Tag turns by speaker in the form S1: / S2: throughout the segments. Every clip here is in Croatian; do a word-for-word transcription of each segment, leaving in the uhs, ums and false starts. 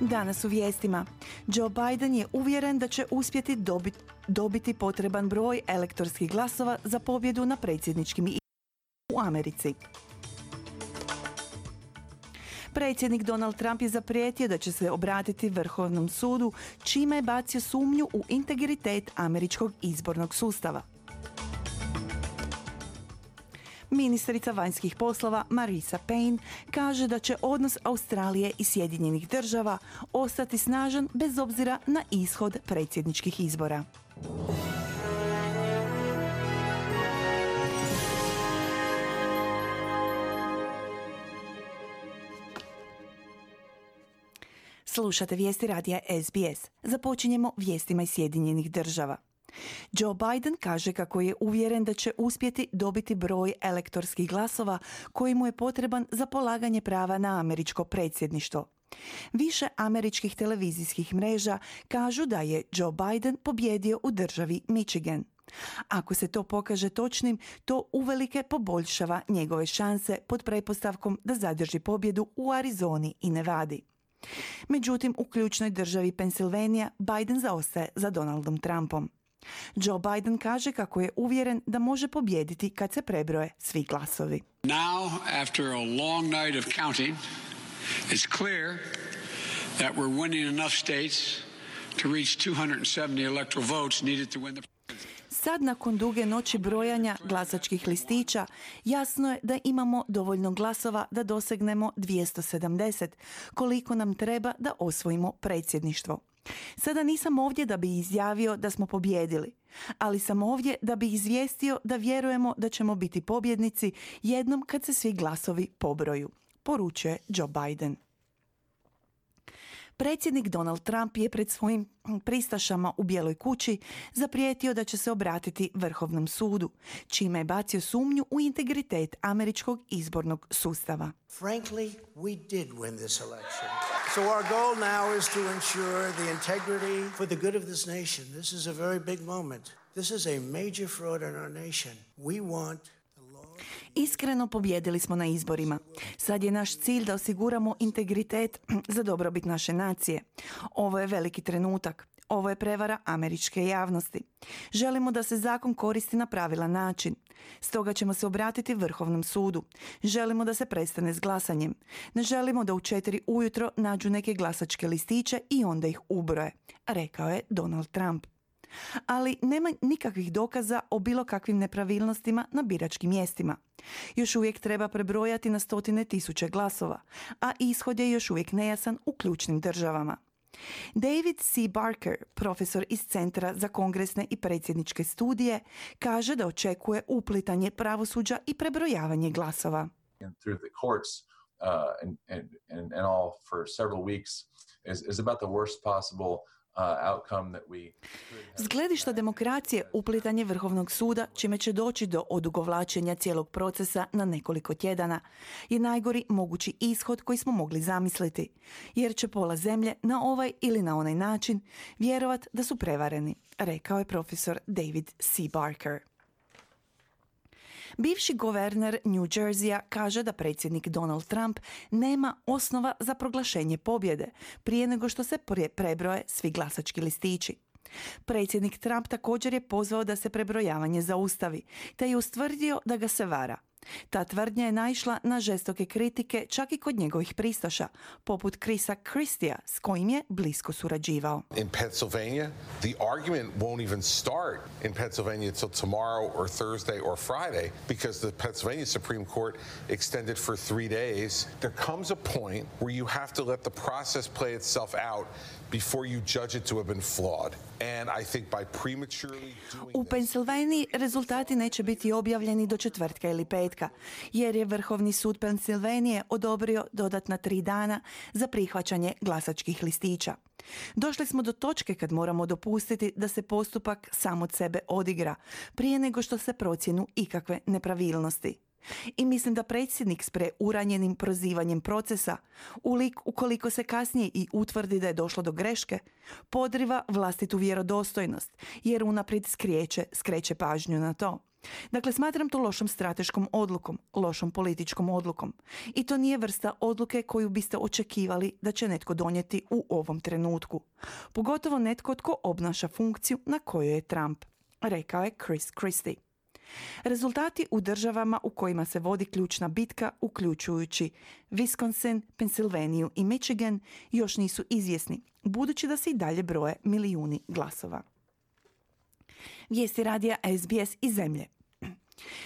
S1: Danas u vijestima. Joe Biden je uvjeren da će uspjeti dobiti, dobiti potreban broj elektorskih glasova za pobjedu na predsjedničkim izborima u Americi. Predsjednik Donald Trump je zaprijetio da će se obratiti Vrhovnom sudu, čime je bacio sumnju u integritet američkog izbornog sustava. Ministrica vanjskih poslova Marisa Payne kaže da će odnos Australije i Sjedinjenih država ostati snažan bez obzira na ishod predsjedničkih izbora. Slušate vijesti radija S B S. Započinjemo vijestima iz Sjedinjenih država. Joe Biden kaže kako je uvjeren da će uspjeti dobiti broj elektorskih glasova koji mu je potreban za polaganje prava na američko predsjedništvo. Više američkih televizijskih mreža kažu da je Joe Biden pobjedio u državi Michigan. Ako se to pokaže točnim, to uvelike poboljšava njegove šanse pod pretpostavkom da zadrži pobjedu u Arizoni i Nevadi. Međutim, u ključnoj državi Pensilvanija Biden zaostaje za Donaldom Trumpom. Joe Biden kaže kako je uvjeren da može pobijediti kad se prebroje svi glasovi.
S2: Now, after a long night of counting, it's clear that we're winning enough states to reach two hundred seventy electoral votes needed to win the
S1: Sad, nakon duge noći brojanja glasačkih listića, jasno je da imamo dovoljno glasova da dosegnemo dvjesto sedamdeset, koliko nam treba da osvojimo predsjedništvo. Sada nisam ovdje da bi izjavio da smo pobjedili, ali sam ovdje da bi izvijestio da vjerujemo da ćemo biti pobjednici jednom kad se svi glasovi pobroju, poručuje Joe Biden. Predsjednik Donald Trump je pred svojim pristašama u Bijeloj kući zaprijetio da će se obratiti Vrhovnom sudu, čime je bacio sumnju u integritet američkog izbornog sustava.
S3: Frankly, we did win this election. So our goal now is to ensure the integrity for the good of this nation. This is a very big moment. This is a major fraud in our nation. We want
S1: Iskreno pobjedili smo na izborima. Sad je naš cilj da osiguramo integritet za dobrobit naše nacije. Ovo je veliki trenutak. Ovo je prevara američke javnosti. Želimo da se zakon koristi na pravilan način. Stoga ćemo se obratiti Vrhovnom sudu. Želimo da se prestane s glasanjem. Ne želimo da u četiri ujutro nađu neke glasačke listiće i onda ih ubroje, rekao je Donald Trump. Ali nema nikakvih dokaza o bilo kakvim nepravilnostima na biračkim mjestima. Još uvijek treba prebrojati na stotine tisuće glasova, a ishod je još uvijek nejasan u ključnim državama. David C. Barker, profesor iz Centra za kongresne i predsjedničke studije, kaže da očekuje uplitanje pravosuđa i prebrojavanje glasova.
S4: Through the courts uh, and, and, and all for several weeks is, is about the worst possible
S1: S gledišta demokracije, uplitanje Vrhovnog suda, čime će doći do odugovlačenja cijelog procesa na nekoliko tjedana, je najgori mogući ishod koji smo mogli zamisliti, jer će pola zemlje na ovaj ili na onaj način vjerovat da su prevareni, rekao je profesor David C. Barker. Bivši guverner New Jerseya kaže da predsjednik Donald Trump nema osnova za proglašenje pobjede prije nego što se prebroje svi glasački listići. Predsjednik Trump također je pozvao da se prebrojavanje zaustavi, te je ustvrdio da ga se vara. Ta tvrdnja je naišla na žestoke kritike čak i kod njegovih pristaša, poput Chrisa Christija, s kojim je blisko surađivao.
S5: In Pennsylvania, the argument won't even start in Pennsylvania till tomorrow or Thursday or Friday because the Pennsylvania Supreme Court extended for three days. There comes a point where you have to let the process play itself out before you judge it to have been flawed. And I think by prematurely doing
S1: U Pensilvaniji rezultati neće biti objavljeni do četvrtka ili petka, jer je Vrhovni sud Pensilvanije odobrio dodatna tri dana za prihvaćanje glasačkih listića. Došli smo do točke kad moramo dopustiti da se postupak sam od sebe odigra, prije nego što se procjenu ikakve nepravilnosti. I mislim da predsjednik s preuranjenim prozivanjem procesa, ulik ukoliko se kasnije i utvrdi da je došlo do greške, podriva vlastitu vjerodostojnost, jer unaprijed skreće, skreće pažnju na to. Dakle, smatram to lošom strateškom odlukom, lošom političkom odlukom. I to nije vrsta odluke koju biste očekivali da će netko donijeti u ovom trenutku. Pogotovo netko tko obnaša funkciju na kojoj je Trump, rekao je Chris Christie. Rezultati u državama u kojima se vodi ključna bitka, uključujući Wisconsin, Pennsylvaniju i Michigan, još nisu izvjesni, budući da se i dalje broje milijuni glasova. Vijesti radija S B S iz zemlje.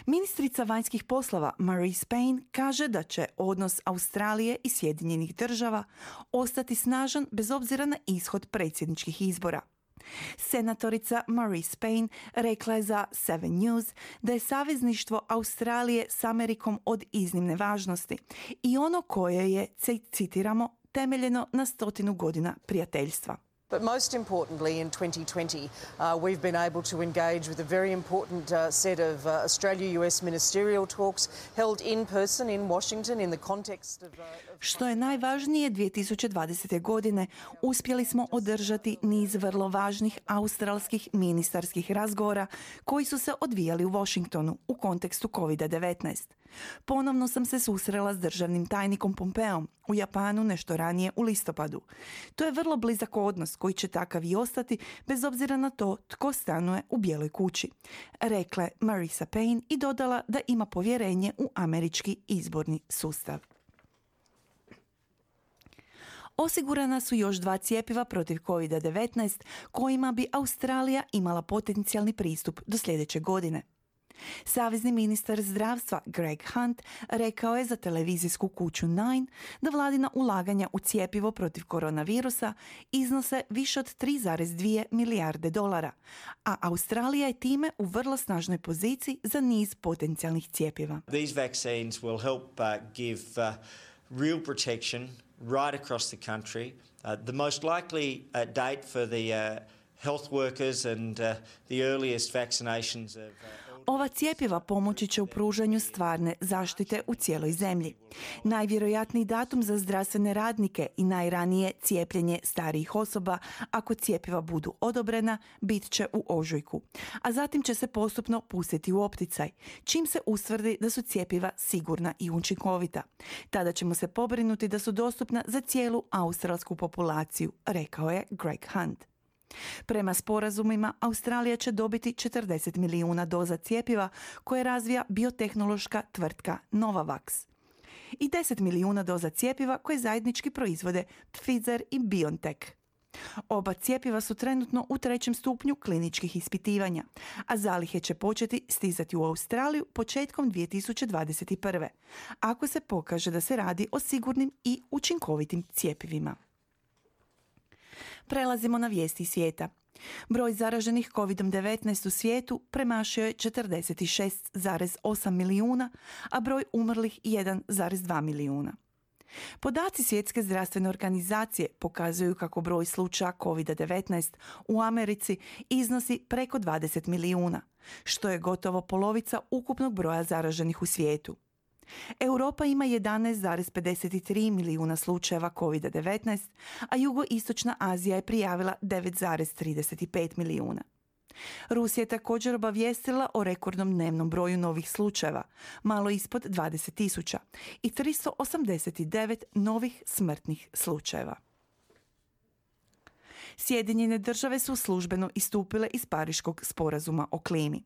S1: Ministrica vanjskih poslova Marise Payne kaže da će odnos Australije i Sjedinjenih država ostati snažan bez obzira na ishod predsjedničkih izbora. Senatorica Marise Payne rekla je za Seven News da je savezništvo Australije s Amerikom od iznimne važnosti i ono koje je, citiramo, temeljeno na stotinu godina prijateljstva.
S6: But most importantly, in twenty twenty, uh, we've been able to engage with a very important uh, set of uh, Australia-U S ministerial talks held in person in Washington in the context of... Uh, of...
S1: Što je najvažnije, dvije tisuće dvadesete. godine uspjeli smo održati niz vrlo važnih australskih ministarskih razgovora koji su se odvijali u Washingtonu u kontekstu covid devetnaest. Ponovno sam se susrela s državnim tajnikom Pompeom u Japanu nešto ranije u listopadu. To je vrlo blizak odnos koji će takav i ostati bez obzira na to tko stanuje u Bijeloj kući, rekla je Marisa Payne i dodala da ima povjerenje u američki izborni sustav. Osigurana su još dva cjepiva protiv covid devetnaest kojima bi Australija imala potencijalni pristup do sljedeće godine. Savezni ministar zdravstva Greg Hunt rekao je za televizijsku kuću Nine da vladina ulaganja u cjepivo protiv koronavirusa iznose više od tri zarez dvije milijarde dolara, a Australija je time u vrlo snažnoj poziciji za niz potencijalnih cjepiva.
S7: These vaccines will help uh, give uh, real protection right across the country. Uh, the most likely uh, date for the uh, health workers and uh, the earliest vaccinations of uh,
S1: Ova cjepiva pomoći će u pružanju stvarne zaštite u cijeloj zemlji. Najvjerojatniji datum za zdravstvene radnike i najranije cijepljenje starijih osoba, ako cjepiva budu odobrena, bit će u ožujku. A zatim će se postupno pustiti u opticaj, čim se ustvrdi da su cjepiva sigurna i učinkovita. Tada ćemo se pobrinuti da su dostupna za cijelu australsku populaciju, rekao je Greg Hunt. Prema sporazumima, Australija će dobiti četrdeset milijuna doza cjepiva koje razvija biotehnološka tvrtka Novavax i deset milijuna doza cjepiva koje zajednički proizvode Pfizer i BioNTech. Oba cjepiva su trenutno u trećem stupnju kliničkih ispitivanja, a zalihe će početi stizati u Australiju početkom dvije tisuće dvadeset prve. ako se pokaže da se radi o sigurnim i učinkovitim cjepivima. Prelazimo na vijesti svijeta. Broj zaraženih covid devetnaest u svijetu premašio je četrdeset šest zarez osam milijuna, a broj umrlih jedan zarez dva milijuna. Podaci Svjetske zdravstvene organizacije pokazuju kako broj slučaja covid devetnaest u Americi iznosi preko dvadeset milijuna, što je gotovo polovica ukupnog broja zaraženih u svijetu. Europa ima jedanaest zarez pedeset tri milijuna slučajeva covid devetnaest, a jugoistočna Azija je prijavila devet zarez trideset pet milijuna. Rusija je također obavijestila o rekordnom dnevnom broju novih slučajeva, malo ispod dvadeset tisuća, i tristo osamdeset devet novih smrtnih slučajeva. Sjedinjene države su službeno istupile iz Pariškog sporazuma o klimi.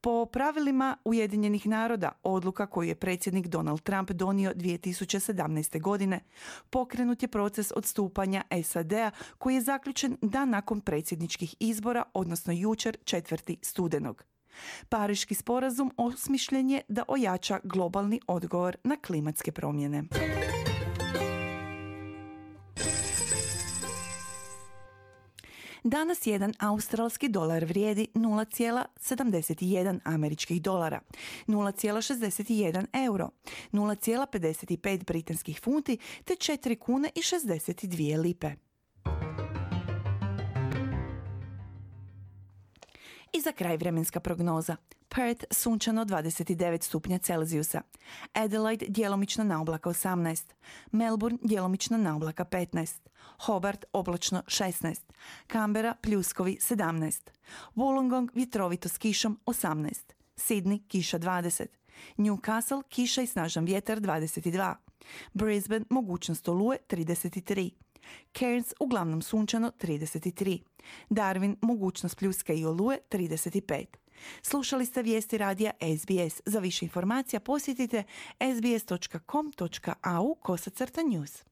S1: Po pravilima Ujedinjenih naroda, odluka koju je predsjednik Donald Trump donio dvije tisuće sedamnaeste. godine, pokrenut je proces odstupanja S A D-a koji je zaključen dan nakon predsjedničkih izbora, odnosno jučer četvrtog studenog. Pariški sporazum osmišljen je da ojača globalni odgovor na klimatske promjene. Danas jedan australski dolar vrijedi nula zarez sedamdeset jedan američkih dolara, nula zarez šezdeset jedan euro, nula zarez pedeset pet britanskih funti te četiri kune i šezdeset dvije lipe. I za kraj vremenska prognoza. Perth sunčano dvadeset devet stupnja Celzijusa, Adelaide djelomično na oblaka osamnaest, Melbourne djelomično na oblaka petnaest, Hobart oblačno šesnaest, Canberra pljuskovi sedamnaest, Wollongong vjetrovito s kišom osamnaest, Sydney kiša dvadeset, Newcastle kiša i snažan vjetar dvadeset dva, Brisbane mogućnost oluje trideset tri, Cairns uglavnom sunčano trideset tri, Darwin mogućnost pljuska i oluje trideset pet. Slušali ste vijesti radija S B S. Za više informacija posjetite sbs dot com dot a u kosacrta news.